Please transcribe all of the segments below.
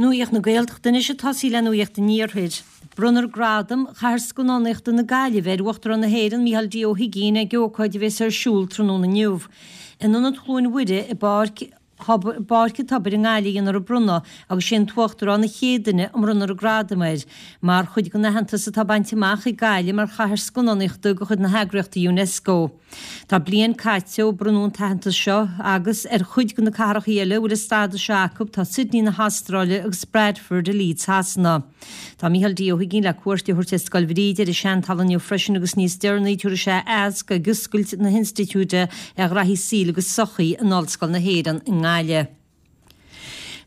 Nuacht na Gaeltachta anois ag tosaí le Nuacht an Iarthair. Bronnfar Gradam Chathair Scannánaíochta na Gaillimhe ar Uachtarán na hÉireann, Micheál D. Ó hUigínn ag ócáid a bheas ar siúl tráthnóna inniu. In Ionad Chluain Mhuire i bPáirc an Tobair i nGaillimh a dhéanfar an bronnadh agus sé an tUachtarán an chéad duine a mbronnfar an gradam air, mar chuid den aitheantas atá bainte amach ag Gaillimh mar chathair scannánaíochta de chuid na heagraíochta Unesco. Tá bliain caite ó bronnadh an t-aitheantas seo agus ar chuid de na cathracha eile a bhfuil an stádas seo acu tá Sydney na hAstráile agus Bradford i Leeds Shasana. Tá Micheál D. Ó hUigínn le cuairt a thabhairt ar Scoil Bhríde ar an Seantalamh inniu freisin agus níos deireanaí tabharfaidh sé aitheasc ag oscailt na hInstitiúide ar Ghraithí Saoil agus Sochaí in Ollscoil na hÉireann i nGaillimh.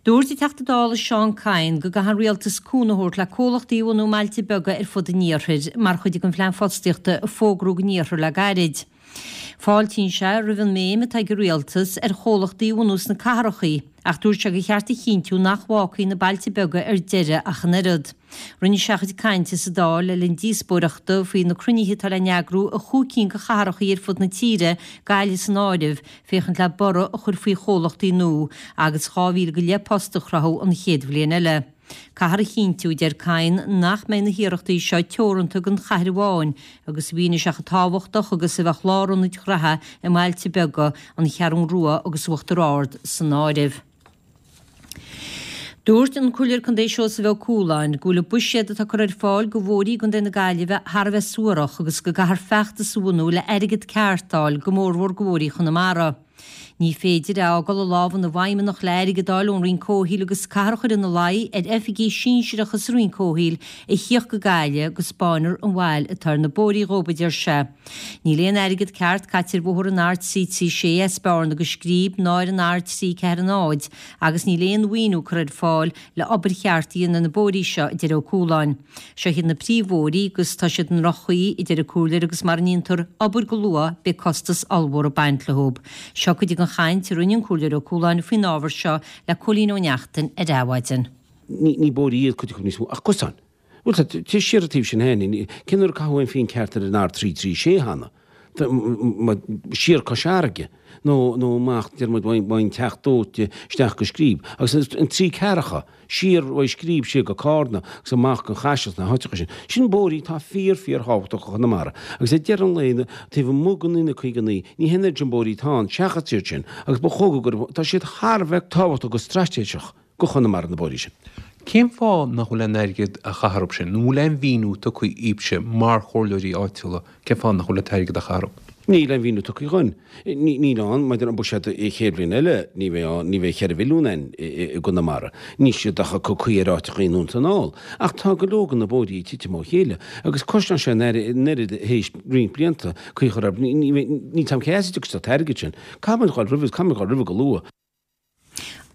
Dúirt an Teachta Dála Seán Kyne go gcaithfidh an Rialtas cúnamh a thabhairt le comhlachtaí a bhunú i mbailte beaga ar fud an iarthair mar chuid den phlean fostaíochta a fógraíodh don iarthar le gairid. Fáiltíonn sé roimh an mbéim atá ag an Rialtas ar chomhlachtaí a bhunú sna cathrachaí ach dúirt sé gur cheart a chinntiú nach bhfágfaí na bailte beaga ar deireadh ach an oiread. Rinne sé a chuid cainte sa Dáil le linn díospóireachta faoi na cruinnithe atá le n-eagrú i chúig cinn de chathrachaí ar fud na tíre, Gaillimh san áireamh, féachaint le borradh a chur faoi chomhlachtaí nua agus 2,000 go leith post a chruthú an chéad bhliain eile. Caithfear a chinntiú, a deir Kyne, nach mbeidh na hiarrachtaí seo teoranta don chathair amháin agus mhínigh sé chomh tábhachtach agus a bheadh lárionaid ghraithe i mbailte beaga, an Cheathrún Rua agus Uachtar Ard san áireamh. Dúirt an Comhairleoir Contae Seosamh Ó Cualáin go bhfuil an buiséad atá curtha ar fáil do bhóithrí i gContae na Gaillimhe thar a bheith suarach agus go gcaithfear feachtas a bhunú le airgead ceart a fháil go mórmhór do bhóithrí Chonamara. Ní féidir é a fhágáil i lámha na bhfeidhmeannach le airgead a fháil ón Roinn Comhshaoil agus caithfear a chur ina luí ar oifigigh sinsearacha sa Roinn Comhshaoil a thíocht go Gaillimh go 'spáinfear an bhail atá ar na bóithrí dhóibh, a deir sé. Níl aon airgead ceart caite ar bhóthar an R336 as Bearna go Scríb ná ar an R340 agus níl aon mhaoiniú curtha ar fáil le obair cheart a dhéanamh ar na bóithrí seo, a deir Ó Cualáin. Seo iad na príomhbhóithrí agus tá siad i ndroch-chaoi, a deir an Comhairleoir agus mara ndéantar obair go luath beidh costas ollmhór ag baint leo. Seo cuid den chaint a rinne an Comhairleoir Ó Cualáin faoin ábhar seo le Cóilín Ó Neachtain ar Adhmhaidin. Ní bóithrí iad cuid acu níos mó ach cosáin. Bhuel, tá, téigh siar an taobh sin féin, cén uair a caitheadh aon phingin ceart ar an R336 cheana? Siar Cois Fharraige, nó, nó amach, deir muid, ón Teach Dóite isteach go Scríb. Agus an trí ceathracha, siar uaidh Scríb siar go Cárna agus amach go Caiseal sna háiteacha sin. Sin bóithrí atá fíor, fíor thábhachtach do Chonamara. Agus ag deireadh an lae, taobh amuigh den N59, ní hé an oiread sin bóithrí atá ann, seachas iad sin, agus ba chóir go, tá siad thar a bheith tábhachtach go straitéiseach. go Chonamara na bóithrí sin. Cén fáth nach bhfuil aon airgead á chaitheamh orthu sin? Nó an bhfuil aon mhíniú tugtha daoibhse mar chomhairleoirí áitiúla cén fáth nach bhfuil an t-airgead á chaitheamh orthu? Níl aon mhíniú tugtha dhúinn. Níl ann maidir an buiséad an chéad bhliain eile, ní bheidh ann, ní bheidh 4 mhilliún ann i gConamara. Níl siad ach ag cur caoi ar áiteacha i nDún na nGall. Ach tá go leor de na bóithrí ag titim ó chéile agus cosnaíonn sé an oiread théis roinnt blianta caoi a chur orthu. Níl a fhios agam cé as a dtiocfaidh an t-airgead sin. Caithfidh muid a dhul roimhe, caithfidh muid a dhul roimhe go luath.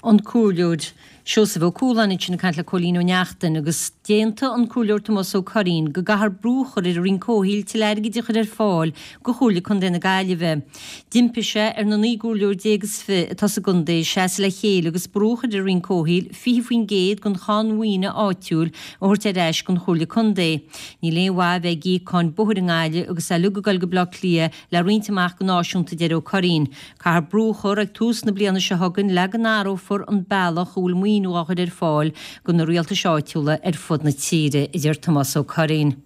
An Comhairleoir Seosamh Ó Cualáin ansin ag caint le Cóilín Ó Neachtain agus d'aontaigh an Comhairleoir Tomás Ó Curraoin go gcaithfear brú a chur ar an Roinn Comhshaoil tuilleadh airgid a chur ar fáil do Chomhairle Contae na Gaillimhe. D'impigh sé ar na 19 gcomhairleoir is fi atá sa gcontae seasamh le chéile agus brú a chur ar an Roinn Comhshaoil 20% den cháin mhaoine áitiúil a thabhairt ar ais don Chomhairle Contae. Níl aon mhaith a bheith ag íoc cáin bóthair i nGaillimh agus é uilig ag dul go Baile Átha Cliath le roinnt amach go náisiúnta, a deir Ó Curraoin. Caithfear brú a chur ag tús na bliana seo chugainn le go n-athrófar an bealach a bhfuil maoiniú á chur ar fáil do na rialtais áitiúla ar fud na tíre, a deir Tomás Ó Curraoin.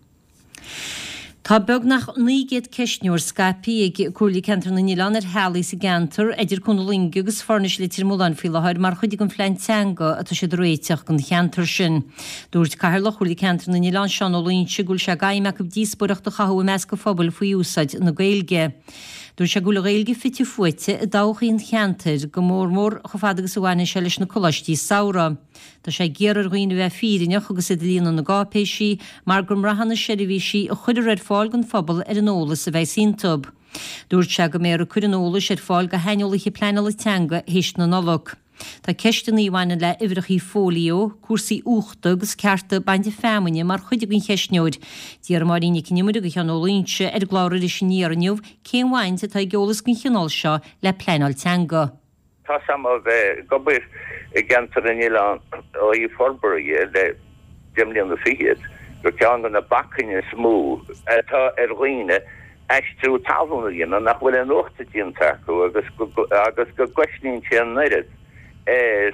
Tá beagnach 900 ceistneoir scaipthe ag Comhairle Ceantar na nOileán ar theaghlaigh sa gceantar idir Cuan na Loinge agus Foirnis Leitir Mealláin faoi láthair mar chuid den phlean teanga atá siad a réiteach don cheantar sin. Dúirt Cathaoirleach Chomhairle Ceantar na nOileán Seán Ó Loingsigh go bhfuil sé d'aidhm acu díospóireacht a chothú i measc an phobail faoi úsáid na Gaeilge. Dúirt sé go bhfuil an Ghaeilge fite fuaite i dtodhchaí an cheantair, go mórmór chomh fada agus a bhaineann sé leis na coláistí samhraidh. Tá sé ag iarraidh ar dhaoine a bheith fírinneach agus iad ag líonadh na gcáipéisí, mar go mbraitheann na seirbhísí a chuirfear ar fáil don phobal ar an eolas a bheas iontu. Dúirt sé go mbeifear ag cur an eolais ar fáil do shaineolaithe pleanála teanga théis na Nollag. Tá ceisteanna a bhaineann le huimhreacha fóilió, cúrsaí uchta agus cearta bainte feamainne mar chuid den cheistneoir. D'iarr Máirín Nic an Iomaire de Sheán Ó Loingsigh ar an gclár Iris Aniar inniu cén bhaint atá ag eolas den chineál seo le pleanáil teanga. Tá's a'm ó bheith ag obair i gCeantar na nOileán ó thaobh forbartha dhe le deich mbliana fichead gur ceann de na bacainní is mó atá ar dhaoine aistriú talún a dhéanamh nach bhfuil aon uchtú déanta acu agus agus go gcosnaíonn sé an oiread ar.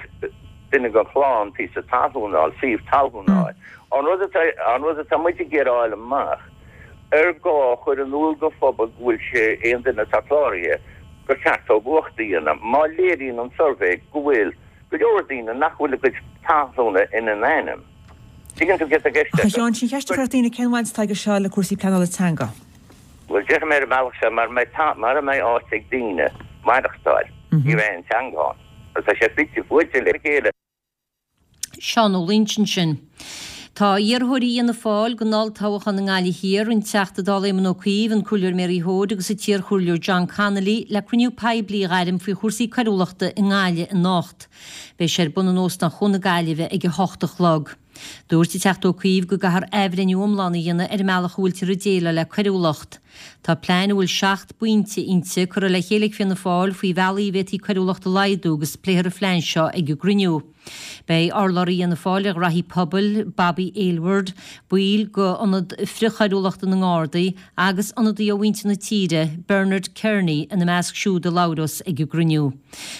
duine den chlann píosa talún a fháil, suíomh talún a fháil. An rud atá, an rud atá muid ag iarraidh a fháil amach, ar gá a chur in iúl don phobal go bhfuil sé, aon duine atá cláraithe, gur cheart dóibh uacht a dhéanamh, má léiríonn an suirbhé go bhfuil go leor daoine nach bhfuil a gcuid talúna ina n-ainm. Tuigeann tú céard atá i gceist Ach a Sheáin, sin an cheist a chuirfeadh daoine, cén bhaint atá aige seo le cúrsaí pleanála teanga? Bhuel, déarfaidh mé ar an mbealach seo, mara mbeidh, mara mbeidh áit ag daoine maireachtáil, ní bheidh aon teanga ann. Agus tá sé fite fuaite le chéile. Seán Ó Loingsigh ansin. Tá iarrthóirí Fhianna Fáil don olltoghchán i nGaillimh Thiar, an Teachta Dála Éamon Ó Cuív, an Comhairleoir Mary Hoade agus an t-iarchomhairleoir John Connolly le cruinniú poiblí a ghairm faoi chúrsaí coiriúlachta i nGaillimh anocht. Beidh sé ar bun in Óstán Chuan na Gaillimhe ag a hocht a chlog. Dúirt an Teachta Ó Cuív go gcaithfear athbhreithniú iomlán a dhéanamh ar an mbealach a bhfuiltear ag déileáil le coiriúlacht. Tá plean a bhfuil 7 bpointe inti curtha le chéile ag Fianna Fáil faoi bhealaí a bhféadfaí coiriúlacht a laghdú agus pléifear an phlean seo ag an gcruinniú. Beidh urlabhraí Fhianna Fáil ar ghraithí pobail, Bobby Aylward, baill d'Ionad Frithchoiriúlachta na nGardaí agus ionadaí ó mhuintir na tíre, Bernard Kearney, ina measc siúd a labhrós ag an gcruinniú.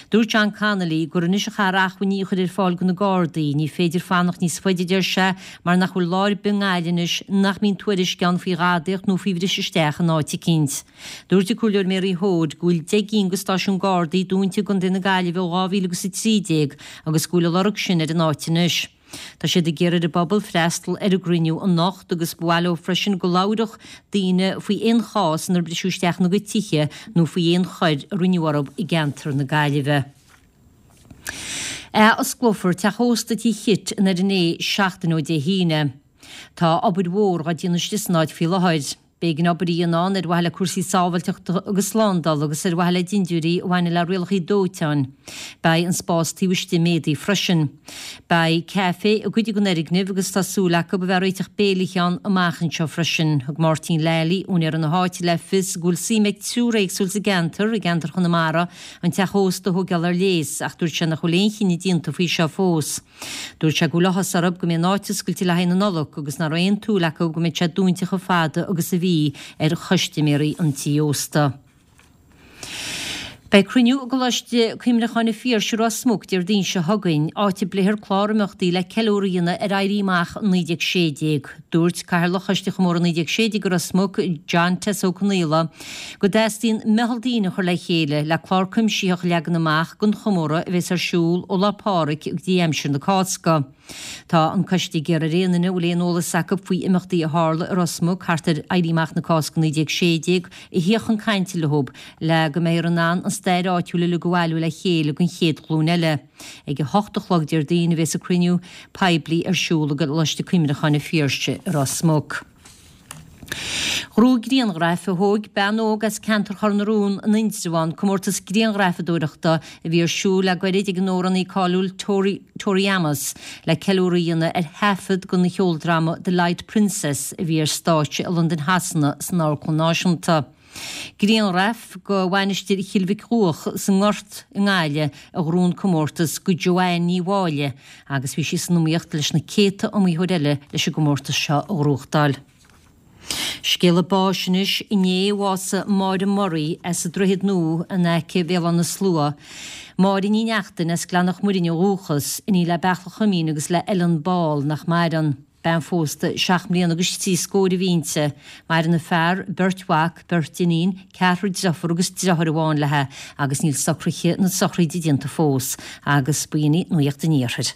Dúirt John Connolly gur anois a chaithfear acmhainní a chur ar fáil do na Gardaí. Ní féidir fanacht níos faide, a deir sé, mar nach bhfuil lá ar bith i nGaillimh anois nach mbíonn tuairisc ann faoi ghadaíocht nó faoi bhriseadh isteach in áit eicínt. Dúirt an Comhairleoir Mary Hoade go bhfuil 10 gcinn de stáisiúin Gardaí dúnta i gContae na Gaillimhe ó 2013 agus go bhfuil a lorg sin ar an áit anois. Tá siad ag iarraidh ar an bpobal freastal ar an gcruinniú anocht agus ba mhaith leo freisin go labhródh daoine faoi aon chás inar briseadh isteach ina gcuid tithe nó faoi aon choir a rinneadh orthu i gceantar na Gaillimhe. Ath-osclófar teach ósta Tí Chit in Doire Né seachtain ó Dé hAoine. Tá obair mhór dhá déanamh istigh san áit faoi láthair. B'éigean obair a dhéanamh ann ar mhaithe le cúrsaí sábháilteachta agus slándála agus ar mhaithe le dindiúirí a bhaineann le rialacha dóiteáin. Beidh an spás taobh istigh méadaithe freisin. Beidh caife i gcuid den fhoirgneamh agus tá súil acu a bheith ag réiteach béilithe ann amach anseo freisin. Thug Máirtín Lally, úinéir na háite, le fios go bhfuil suim ag triúr éagsúil sa gceantar, i gceantar Chonamara, an teach ósta a thógáil ar léas ach dúirt sé nach bhfuil aon chinneadh déanta faoi seo fós. Dúirt sé go bhfuil áthas orthu go mbeidh an áit oscailte le haghaidh na Nollag agus nach raibh aon tsúil acu go mbeidh sé dúinte chomh fada agus a bhí ar chustaiméirí an tí ósta. Beidh cruinniú i gColáiste Cuimhneacháin an Phiarsaigh i Ros Muc Déardaoin seo chugainn, áit a bpléifear clár imeachtaí le ceiliúradh a dhéanamh ar Éirí Amach 1916. Dúirt Cathaoirleach Choiste Chomóradh 1916 i Ros Muc, John Tess Ó Conaola, go dteastaíonn meitheal daoine a chur le chéile le clár cuimsitheach a leagan amach don chomóradh a bheas ar siúl ó Lá Pádraig go dtí aimsir na Cásca. Tá an coiste ag iarraidh ar aon duine a bhfuil aon eolas acu faoi imeachtaí a tharla i Ros Muc thart ar Éirí Amach na Cásca 1916 a theacht chun cainte leo le go mbeifear in ann an stair áitiúil uilig a bhailiú le chéile don chéad ghlúin eile. Ag 8 a chlog Déardaoin a bheas an cruinniú poiblí ar siúl i gColáiste Cuimhneacháin an Phiarsaigh i Ros Muc. Ghnóthaigh grianghraif a thóg bean óg as ceantar Chor na Rón in Indreabhán comórtas grianghrafadóireachta a bhí ar siúl le gairid ag an amhránaí cáiliúil Tori Amos le ceiliúradh a dhéanamh ar thaifead den cheoldráma The Light Princess a bhí ar stáitse i Londain Shasana san Amharclann Náisiúnta. Grianghraf de Mhainistir Chill Mhic Dhuach sa nGort i nGaillimh a ghnóthaigh an comórtas do Joanne Ní Mháille agus bhí sí san iomaíocht leis na céadta iomaitheoir eile leis an gcomórtas seo a ghnóthachtáil. Scéala báis anois, inné a bhásaigh Máire Murray as an Droichead Nua in aice Bhéal Átha na Slua. Máire Ní Neachtain as Gleann Mhuirinn ó dhúchas, iníon le Beartla Chuimín agus le Ellen Ball nach maireann. Bean phósta seacht mbliana agus trí scóir a bhí inti. Maireann a fear, beirt mhac, beirt iníon, ceathrar driofúr agus driotháir amháin léi agus níl socruithe na sochraide déanta fós. Agus b'in í Nuacht an Iarthair.